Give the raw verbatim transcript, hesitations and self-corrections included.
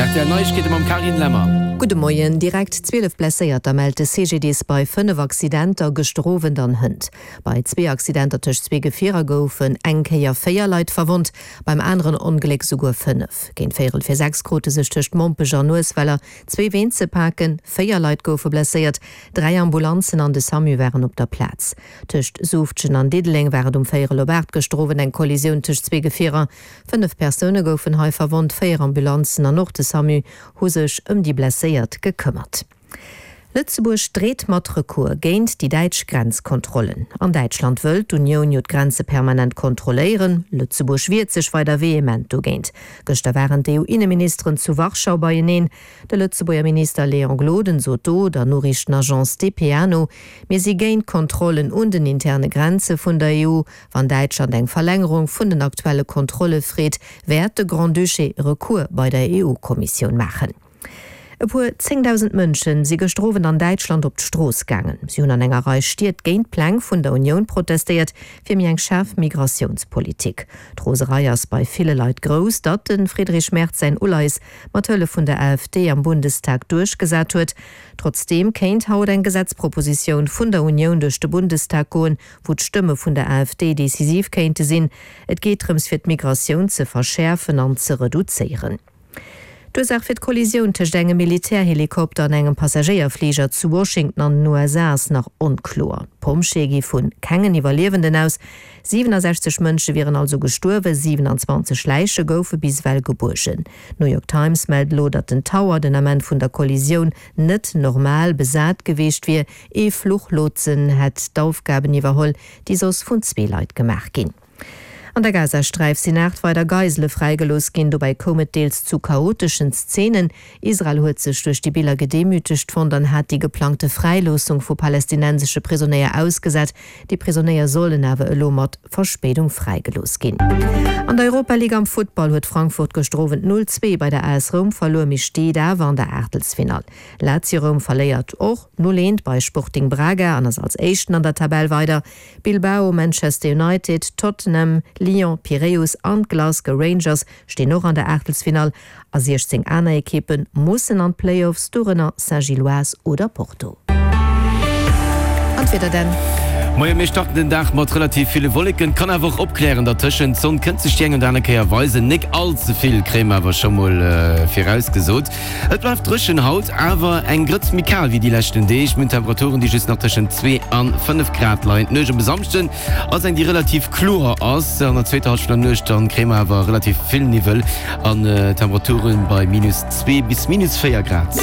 Rtl Neiegkeete mam Carine Lemmer. Gudde Moien. Direkt zwielef Blesséierter mellt de C G D S bei fënnef Accidenter gëschter Owend an hënt. Bei zwee Accidenter tëscht zwee Gefierer goufen eng Kéier véier Leit verwonnt, beim aneren Ongléck souguer fënnef. Géint véierel fir sechs krute sech tëscht Mompech an Uesweller zwee Ween ze paken, véier Leit goufe blesséiert, dräi Ambulanzen an de SAMU waren op der Plaz. Tëscht Suuftgen an Diddeleng war et um véierel op aacht gëschter Owend eng Kollisioun tëscht zwee Gefierer. Fënnef Persoune goufen hei verwonnt, véier Ambulanzen an och de SAMU hu sech ëm déi Blesséiert gekëmmert. Lëtzebuerg dreet mat Recours géint déi däitsch Grenzkontrollen. An Däitschland wëll d'Unioun jo d'Grenze permanent kontrolléieren. Lëtzebuerg wiert sech weider vehement dogéint. Gëschter waren d'E U-Inneministeren zu Warschau beieneen. De Lëtzebuerger Minister Léon Gloden sot do der Noriichtenagence D P A no: Mir si géint Kontrollen un den interne Grenze vun der E U. Wann Däitschland eng Verlängerung vun den aktuelle Kontrolle freet, wäert de Grand-Duché Recours bei der E U-Kommissioun maachen. E puer zéngdausend Mënsche si gëschter Owend an Däitschland op d'Strooss gaangen. Si hunn an enger Rei Stied géint d'Pläng vun der Unioun protestéiert fir méi eng schaarf Migratiounspolitik. D'Roserei ass bei ville Leit grouss, datt de Friedrich Merz säin Uleies mat Hëllef vun der A F D am Bundestag duerchgesat huet. Trotzdeem kéint haut eng Gesetzpropositioun vun der Unioun duerch de Bundestag goen, wou d'Stëmme vun der A F D decisiv kéinte sinn. Et geet drëms fir d'Migratioun ze verschäerfen an ze reduzéieren. D'Ursaach fir d'Kollisioun tëscht engem Militärhelikopter an engem Passagéierfliger zu Washington an den U S A ass nach onkloer. D'Pompjeeë gi vu kengen Iwwerliewenden aus. siewenundsechzeg Mënsche wieren also gestuerwen, siewenundzwanzeg Läiche goufe bis ewell gebuergen. D'New York Times mellt elo, datt den Tower den Ament vun der Kollisioun net normal besat gewiescht wier. Ee Fluchlotsen hätt d'Aufgaben iwwerholl, déi soss vun zwee Leit gemaach ginn. An der Gazasträif sinn aacht weider Geisele fräigelooss ginn, dobäi koum et deels zu chaoteschen Szeenen. Israel huet sech duerch déi Biller gedemütegt fonnt an hat déi geplangte Fräiloossung vu palästinensesche Prisonéier ausgesat. Déi Prisonéier sollen awer elo mat Verspéidung fräigelooss ginn. An der Europa League am Futtball huet Frankfurt gëschter Owend null zwee bei der A S Roum verluer, mee steet awer an der Aachtelsfinall. Lazio Roum verléiert och null eent bei Sporting Braga an ass als Éischten an der Tabell weider. Bilbao, Manchester United, Tottenham, Lyon, Piräus an Glasgow Rangers stinn och an der Aachtelsfinall a siechzéng aner Ekippe mussen an d'Playoffs, dorënner Saint-Gilloise oder Porto. An d'Wieder dann. Moien, mir starten den Dag mat relativ ville Wolleken, kann awer och opklären dertëschent. D'Sonn kënnt sech déi eng oder aner Kéier weisen, nik all ze vill, kréie mer awer scho mol virausgesot. Et bleift dréchen haut, awer eng Grëtz méi kal wéi déi leschten Deeg. Mir hunn Temperaturen, déi just nach tëschent zwee an fënnef Grad leien. D'Nuecht op e Samschden ass eng, déi relativ kloer ass. An der zweeter Hallschent vun der Nuecht dann kréie mer awer relativ vill Niwwel an Temperaturen bei minus zwee bis minus véier Grad.